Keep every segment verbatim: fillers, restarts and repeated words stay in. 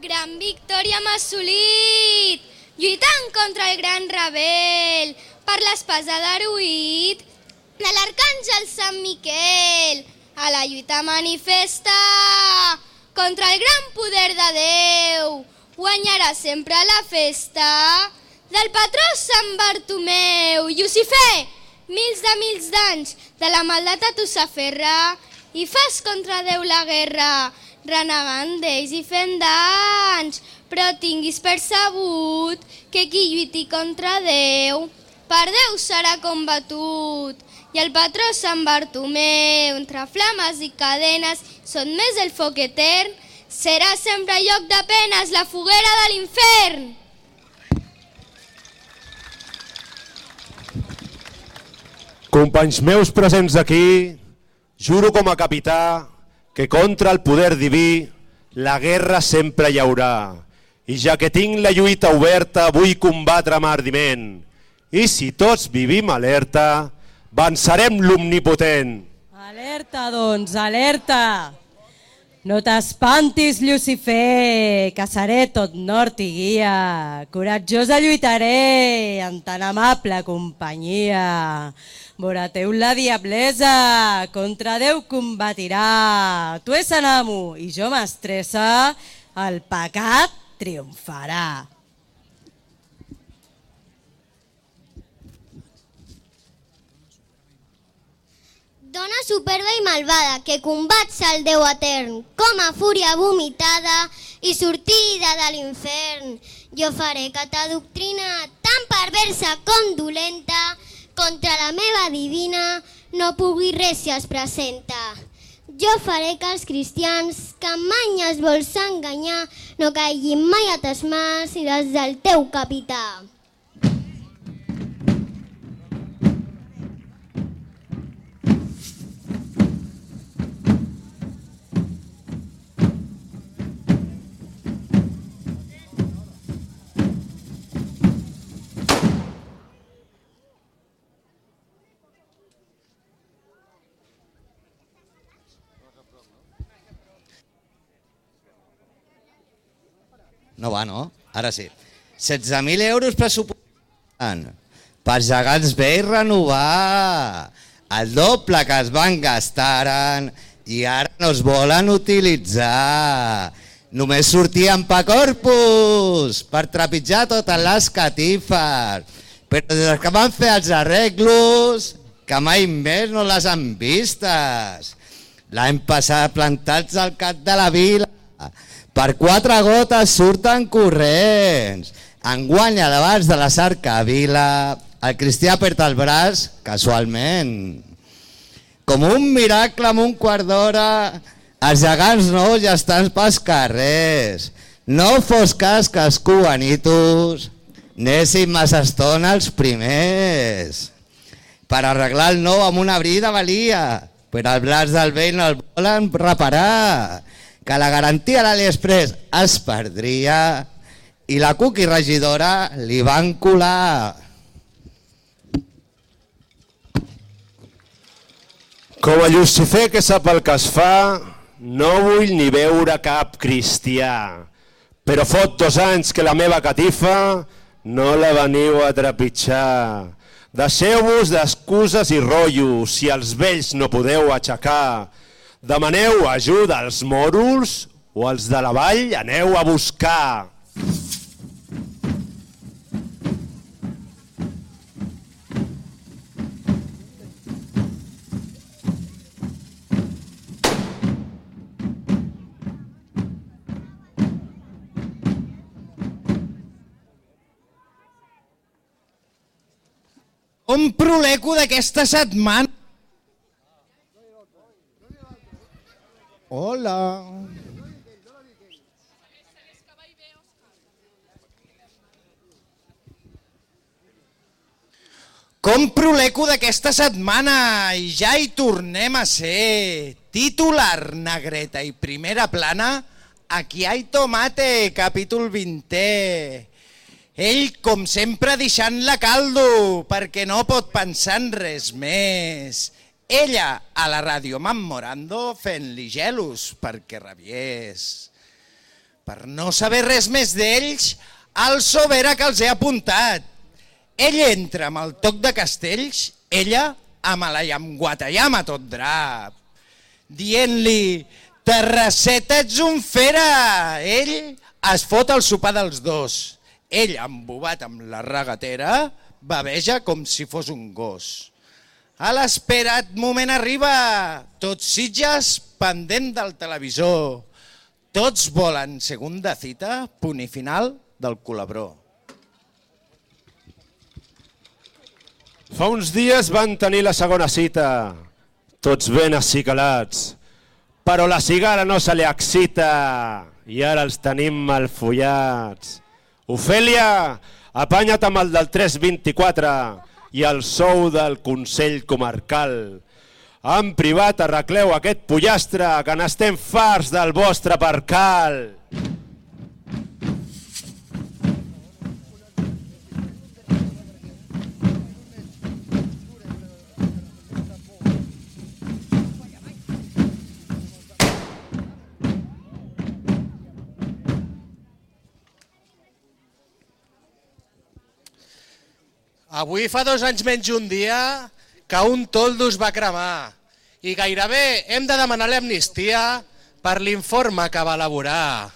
Gran victòria hem assolit, lluitant contra el gran rebel, per l'espasa d'Aruït, de l'arcàngel Sant Miquel, a la lluita manifesta, contra el gran poder de Déu, guanyarà sempre la festa del patró Sant Bartomeu. Llucifer, mils de mils d'anys de la maldat a tu s'aferra i fas contra Déu la guerra, renegant d'ells i fent danys, però tinguis percebut que qui lluiti contra Déu, per Déu serà combatut. I el patró Sant Bartomeu, entre flames i cadenes, són més el foc etern, serà sempre lloc de penes, la foguera de l'infern. Companys meus presents aquí, juro com a capità que contra el poder diví la guerra sempre hi haurà. I ja que tinc la lluita oberta, vull combatre amb ardiment. I si tots vivim alerta, vencerem l'omnipotent. Alerta, doncs, alerta! No t'espantis, Llucifer, que seré tot nord i guia. Coratjosa lluitaré en tan amable companyia. Morateu la diablesa, contra Déu combatirà. Tu és en amo i jo mestressa, el pecat triomfarà. Dona superba i malvada, que combats el Déu etern, com a fúria vomitada i sortida de l'infern. Jo faré que ta doctrina, tan perversa com dolenta, contra la meva divina no pugui res si es presenta. Jo faré que els cristians, que mai els vols enganyar, no caiguin mai a tes mans i les del teu capità. No va, no? Ara sí. setze mil euros pressupostant per gegants bé i renovar. El doble que es van gastaren i ara no es volen utilitzar. Només sortien pa corpus per trepitjar totes les catifes. Però des que van fer els arreglos, que mai més no les han vistes. L'any passat plantats al cap de la vila, per quatre gotes surten corrents. Enguany, abans de la cercavila, el cristià perd el braç casualment. Com un miracle en un quart d'hora, els gegants nous ja estan pels carrers. No fos cas que els cubanitos anessin massa estona els primers. Per arreglar el nou amb una brida valia, però el braç del vell no el volen reparar. Que la garantia a l'Aliexpress es perdria i la cookie regidora li van colar. Com a Llucifer que sap el que es fa, no vull ni veure cap cristià. Però fot dos anys que la meva catifa no la veniu a trepitjar. Deixeu-vos d'excuses i rotllos, si els vells no podeu aixecar. Demaneu ajuda als mòruls o els de la vall aneu a buscar. Compro l'eco d'aquesta setmana. Hola. Compro l'eco d'aquesta setmana i ja hi tornem a ser. Titular, negreta i primera plana, Aquí hay tomate, capítol vintè. Ell, com sempre, deixant-la caldo, perquè no pot pensar en res més. Ella, a la ràdio, mammorando, fent-li gelos perquè rabiés. Per no saber res més d'ells, al sobera que els he apuntat. Ell entra amb el toc de castells, ella amb la llamguatallama tot drap. Dient-li, Terrasseta, ets un fera! Ell es fot el sopar dels dos. Ell, embobat amb la regatera, baveja com si fos un gos. A l'esperat moment arriba, tots Sitges pendent del televisor. Tots volen segunda cita, punt i final del Colabró. Fa uns dies van tenir la segona cita, tots ben acicalats, però la cigala no se li excita i ara els tenim malfollats. Ofèlia, apanya't amb el del tres vint-i-quatre i el sou del Consell Comarcal. En privat arregleu aquest pollastre que n'estem farts del vostre percal. Avui fa dos anys menys un dia que un toldo es va cremar i gairebé hem de demanar l'amnistia per l'informe que va elaborar.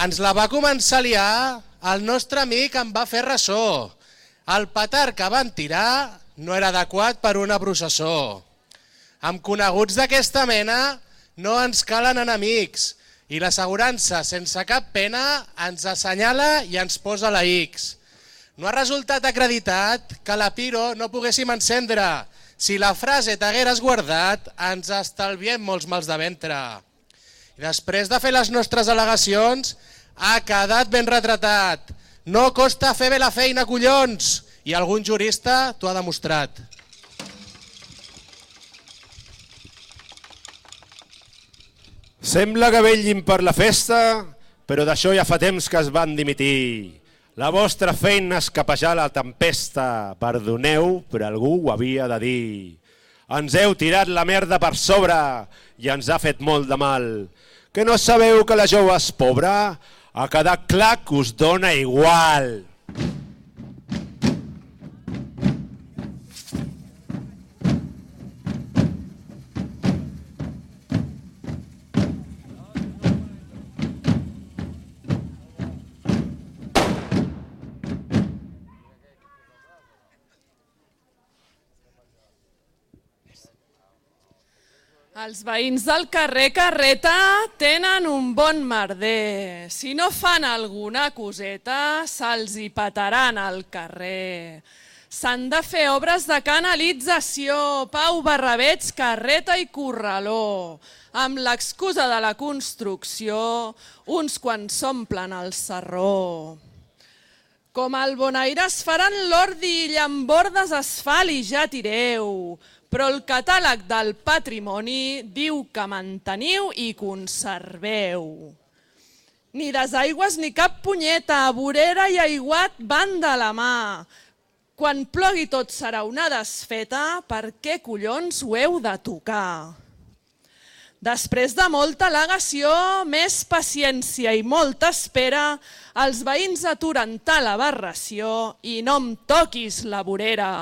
Ens la va començar a liar, el nostre amic en va fer ressò. El petard que van tirar no era adequat per una processó. Amb coneguts d'aquesta mena no ens calen enemics i l'assegurança sense cap pena ens assenyala i ens posa la X. No ha resultat acreditat que la Piro no poguéssim encendre. Si la frase t'hagueres guardat, ens estalviem molts mals de ventre. I després de fer les nostres al·legacions, ha quedat ben retratat. No costa fer bé la feina, collons! I algun jurista t'ho ha demostrat. Sembla que vetllin per la festa, però d'això ja fa temps que es van dimitir. La vostra feina és capejar la tempesta, perdoneu, però algú ho havia de dir. Ens heu tirat la merda per sobre i ens ha fet molt de mal. Que no sabeu que la jove és pobra? Ha quedat clar que us dona igual. Els veïns del carrer Carreta tenen un bon merder. Si no fan alguna coseta, se'ls hi petaran al carrer. S'han de fer obres de canalització, Pau, Barravets, Carreta i Corraló. Amb l'excusa de la construcció, uns quants s'omplen el sarró. Com el Bonaire es faran l'ordi i llambordes asfalt i ja tireu. Però el catàleg del patrimoni diu que manteniu i conserveu. Ni desaigües ni cap punyeta, vorera i aiguat van de la mà. Quan plogui tot serà una desfeta, per què collons ho heu de tocar? Després de molta al·legació, més paciència i molta espera, els veïns aturen tal aberració i no em toquis la vorera.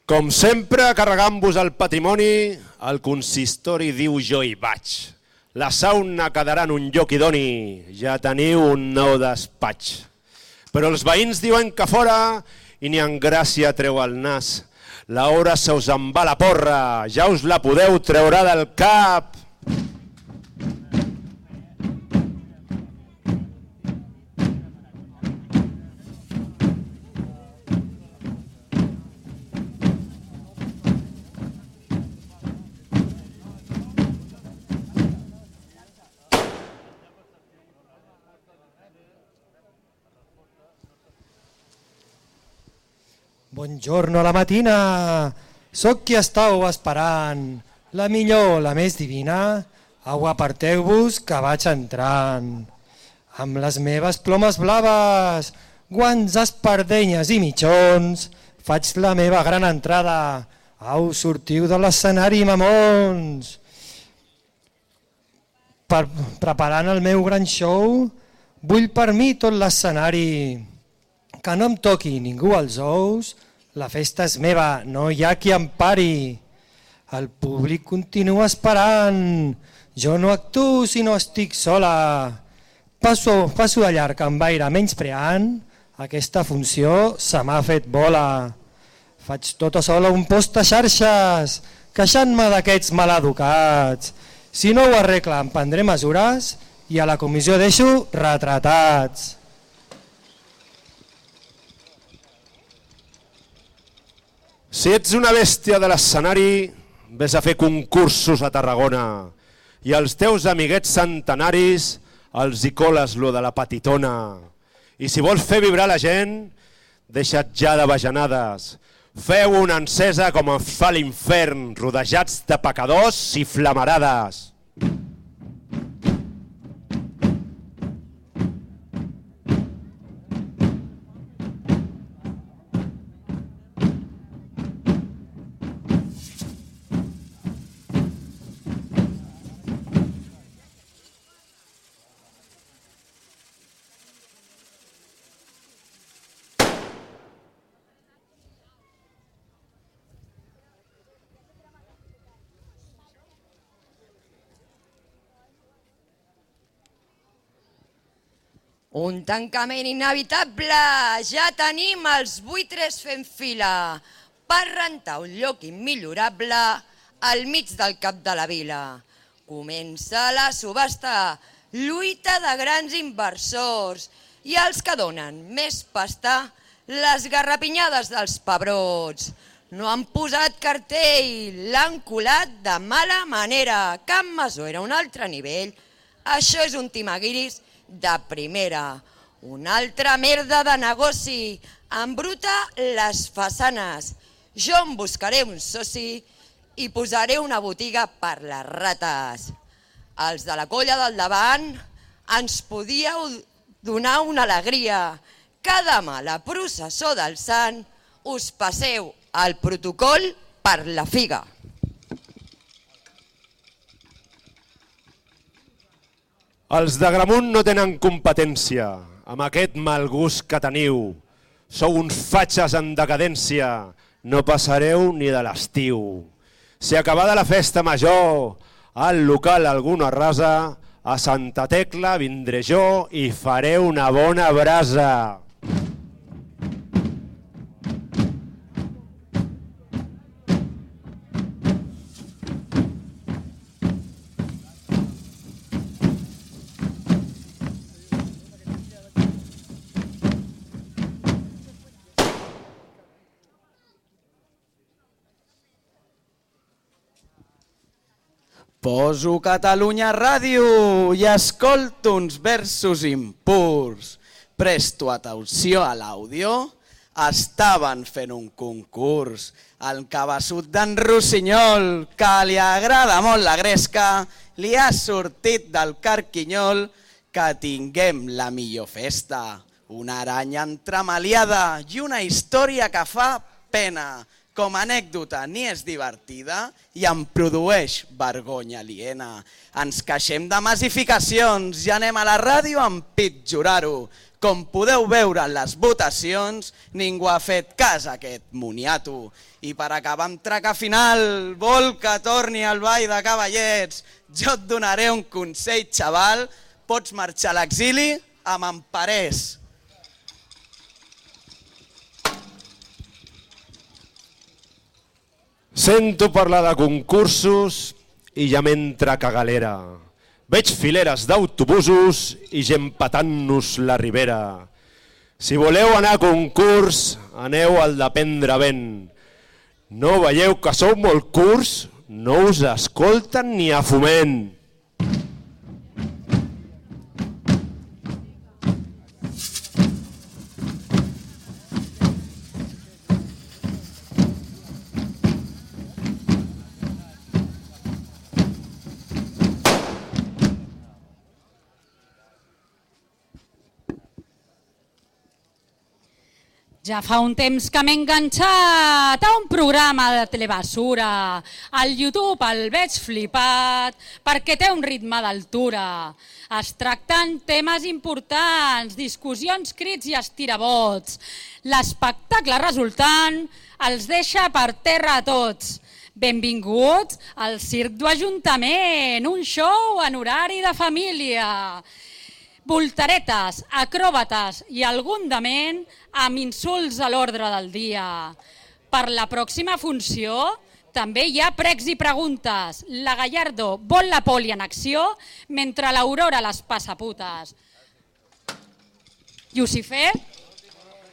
Com sempre, carregant-vos el patrimoni, el consistori diu jo hi vaig. La sauna quedarà en un lloc idoni, ja teniu un nou despatx. Però els veïns diuen que fora i ni en gràcia treu el nas. L'hora se us en va la porra, ja us la podeu treure del cap. Buongiorno a la matina, soc qui estàu esperant, la millor, la més divina, au aparteu-vos que vaig entrant. Amb les meves plomes blaves, guants, espardenyes i mitjons, faig la meva gran entrada, Au, sortiu de l'escenari, mamons! Per, preparant el meu gran show, vull per mi tot l'escenari. Que no em toqui ningú als ous, la festa és meva, no hi ha qui em pari. El públic continua esperant, jo no actuo si no estic sola. Passo, passo de llarg amb aire menyspreant, aquesta funció se m'ha fet bola. Faig tota sola un post a xarxes, queixant-me d'aquests maleducats. Si no ho arregla em prendré mesures i a la comissió deixo retratats. Si ets una bèstia de l'escenari, vés a fer concursos a Tarragona i als teus amiguets centenaris els hi coles lo de la petitona. I si vols fer vibrar la gent, deixa't ja de bajanades. Feu una encesa com en fa l'infern, rodejats de pecadors i flamarades. Un tancament inevitable, ja tenim els buitres fent fila per rentar un lloc immillorable al mig del cap de la vila. Comença la subhasta, lluita de grans inversors i els que donen més pasta, les garrapinyades dels pebrots. No han posat cartell, l'han colat de mala manera. Can Masó era un altre nivell, això és un timaguiris de primera. Una altra merda de negoci, embruta les façanes. Jo em buscaré un soci i posaré una botiga per les rates. Els de la colla del davant ens podíeu donar una alegria. Que demà la processó del sant us passeu el protocol per la figa. Els d'Agramunt no tenen competència amb aquest mal gust que teniu. Sou uns fatxes en decadència, no passareu ni de l'estiu. Si acabada la festa major, al local alguna rasa, a Santa Tecla vindré jo i faré una bona brasa. Poso Catalunya Ràdio i escolto uns versos impurs. Presto atenció a l'àudio, estaven fent un concurs. El cabeçut d'en Rossinyol, que li agrada molt la gresca, li ha sortit del carquinyol que tinguem la millor festa. Una aranya entremaliada i una història que fa pena. Com a anècdota ni és divertida i em produeix vergonya aliena. Ens queixem de massificacions i anem a la ràdio a empitjorar-ho. Com podeu veure en les votacions, ningú ha fet cas a aquest moniato. I per acabar amb traca final, vol que torni al ball de cavallets. Jo et donaré un consell, xaval, pots marxar a l'exili amb emparers. Sento parlar de concursos i ja m'entra cagalera. Veig fileres d'autobusos i gent patant-nos la ribera. Si voleu anar a concurs, aneu al de prendre vent. No veieu que sou molt curts? No us escolten ni a Foment. Ja fa un temps que m'he enganxat a un programa de telebasura. Al YouTube el veig flipat perquè té un ritme d'altura. Es tracten temes importants, discussions, crits i estirabots. L'espectacle resultant els deixa per terra a tots. Benvinguts al Circ d'Ajuntament, un show en horari de família. Voltaretes, acròbates i algun dement amb insults a l'ordre del dia. Per la pròxima funció també hi ha pregs i preguntes. La Gallardo vol la poli en acció mentre l'Aurora les passa putes. Llucifer,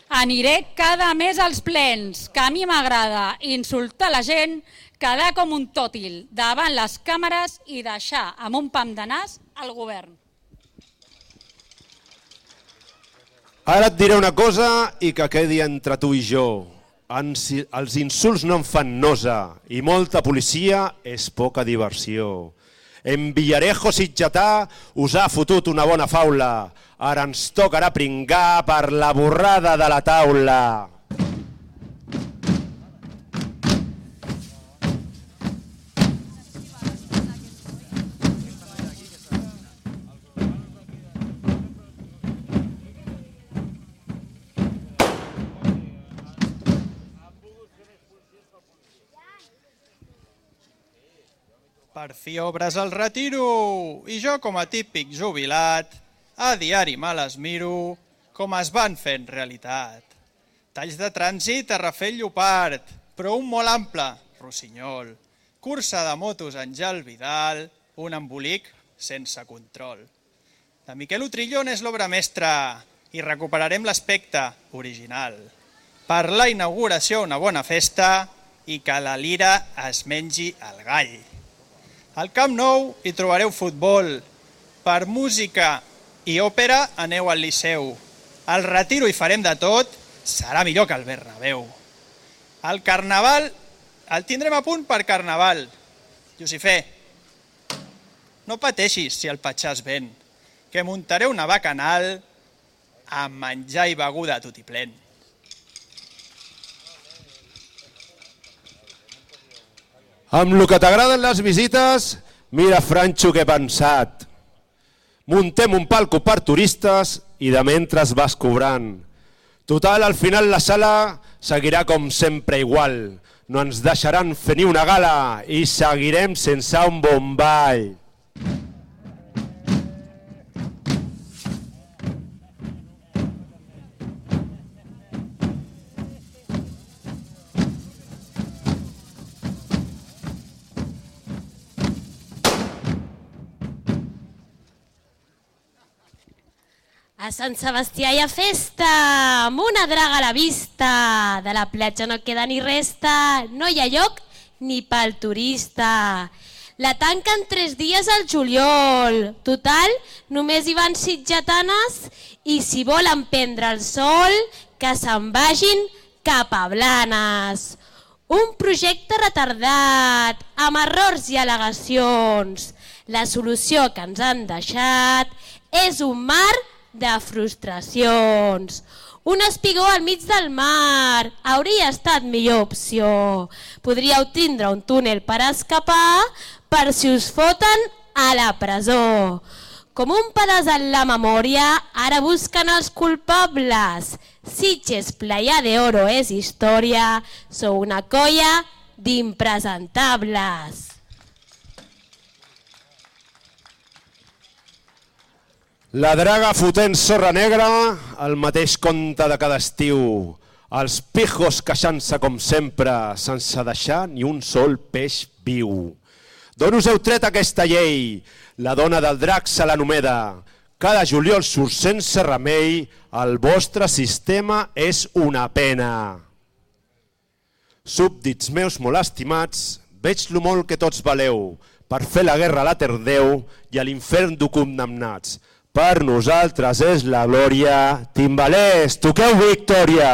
aniré cada mes als plens, que a mi m'agrada insultar la gent, quedar com un tòtil davant les càmeres i deixar amb un pam de nas al govern. Ara et diré una cosa i que quedi entre tu i jo. Els insults no em fan nosa i molta policia és poca diversió. En Villarejo sitgetà us ha fotut una bona faula. Ara ens tocarà pringar per la borrada de la taula. Per fi obres el retiro i jo com a típic jubilat a diari me les miro com es van fent realitat. Talls de trànsit a Rafel Llopart, però un molt ample, Rossinyol. Cursa de motos Àngel Vidal, un embolic sense control. De Miquel Utrillón és l'obra mestra i recuperarem l'aspecte original. Per la inauguració una bona festa i que la lira es mengi el gall. Al Camp Nou hi trobareu futbol. Per música i òpera aneu al Liceu. Al Retiro hi farem de tot, serà millor que el Bernabéu. El Carnaval el tindrem a punt per Carnaval. Llucifer, no pateixis si el Patxà es ven, que muntaré una bacanal amb menjar i beguda a tutiplén. Amb el que t'agraden les visites, mira, Franxo, què he pensat. Muntem un palco per turistes i de mentre vas cobrant. Total, al final la sala seguirà com sempre igual. No ens deixaran fer ni una gala i seguirem sense un bon ball. A Sant Sebastià hi ha festa, amb una draga a la vista. De la platja no queda ni resta, no hi ha lloc ni pel turista. La tanquen tres dies al juliol. Total, només hi van sitgetanes i si volen prendre el sol, que se'n vagin cap a Blanes. Un projecte retardat, amb errors i al·legacions. La solució que ens han deixat és un mar de frustracions. Un espigó al mig del mar hauria estat millor opció. Podríeu tindre un túnel per escapar per si us foten a la presó. Com un pedaç en la memòria, ara busquen els culpables. Sitges, Playa de Oro és història, sou una colla d'impresentables. La draga fotent sorra negra, el mateix conte de cada estiu. Els pijos queixant-se com sempre, sense deixar ni un sol peix viu. D'on us heu tret aquesta llei? La dona del drac se l'anomeda. Cada juliol surt sense remei, el vostre sistema és una pena. Súbdits meus molt estimats, veig lo molt que tots valeu, per fer la guerra a la Terdeu i a l'infern d'ho condemnats. Per nosaltres és la glòria. Timbalers, toqueu victòria!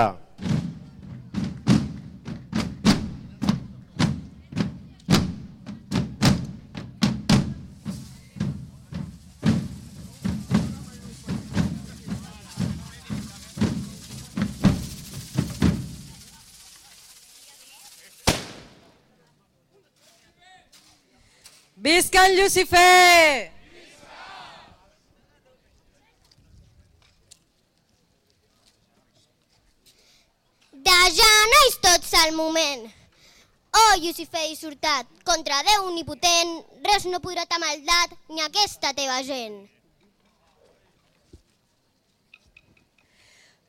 Visca en Llucifer! De ja no és tots al moment. Oh, Llucifer dissortat, contra Déu omnipotent, res no podrà ta maldat ni aquesta teva gent.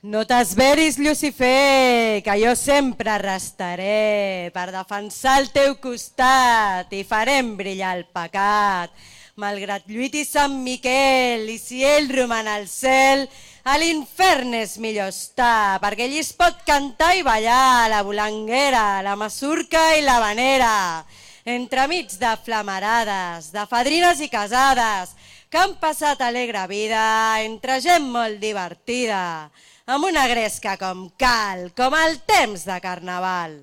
No t'esveris, Llucifer, que jo sempre restaré per defensar el teu costat i farem brillar el pecat. Malgrat lluiti Sant Miquel i si ell roman al cel, a l'infern és millor estar, perquè allí es pot cantar i ballar la volanguera, la masurca i la vanera, entremig de flamarades, de fadrines i casades, que han passat alegre vida entre gent molt divertida, amb una gresca com cal, com el temps de carnaval.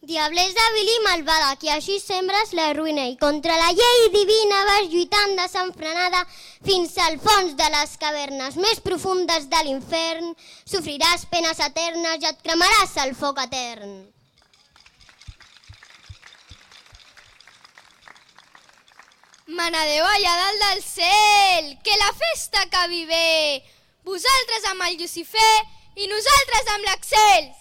Diablesa vil i malvada, que així sembres la ruïna i contra la llei divina vas lluitant desenfrenada fins al fons de les cavernes més profundes de l'infern. Sofriràs penes eternes i et cremaràs el foc etern. Manadeu allà dalt del cel, que la festa acabi bé. Vosaltres amb el Llucifer i nosaltres amb l'Axel.